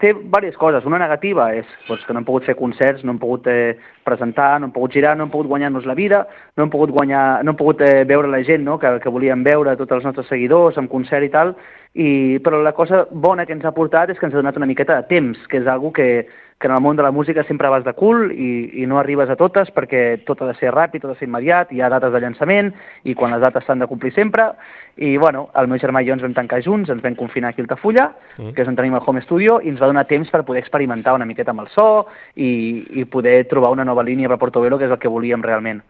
té diverses coses. Una negativa és doncs, que no hem pogut fer concerts, no hem pogut presentar, no hem pogut girar, no hem pogut guanyar-nos la vida, no hem pogut veure la gent, no? que volíem veure, tots els nostres seguidors, en concert i tal, però la cosa bona que ens ha portat és que ens ha donat una miqueta de temps, que és algo que en el món de la música sempre vas de cul i no arribes a totes perquè tot ha de ser ràpid, tot ha de ser immediat, hi ha dates de llançament i quan les dates s'han de complir sempre. I bueno, el meu germà i jo ens vam tancar junts, ens vam confinar aquí a Altafulla, que és on tenim el home studio, i ens va donar temps per poder experimentar una miqueta amb el so i poder trobar una nova línia per Portobello, que és el que volíem realment.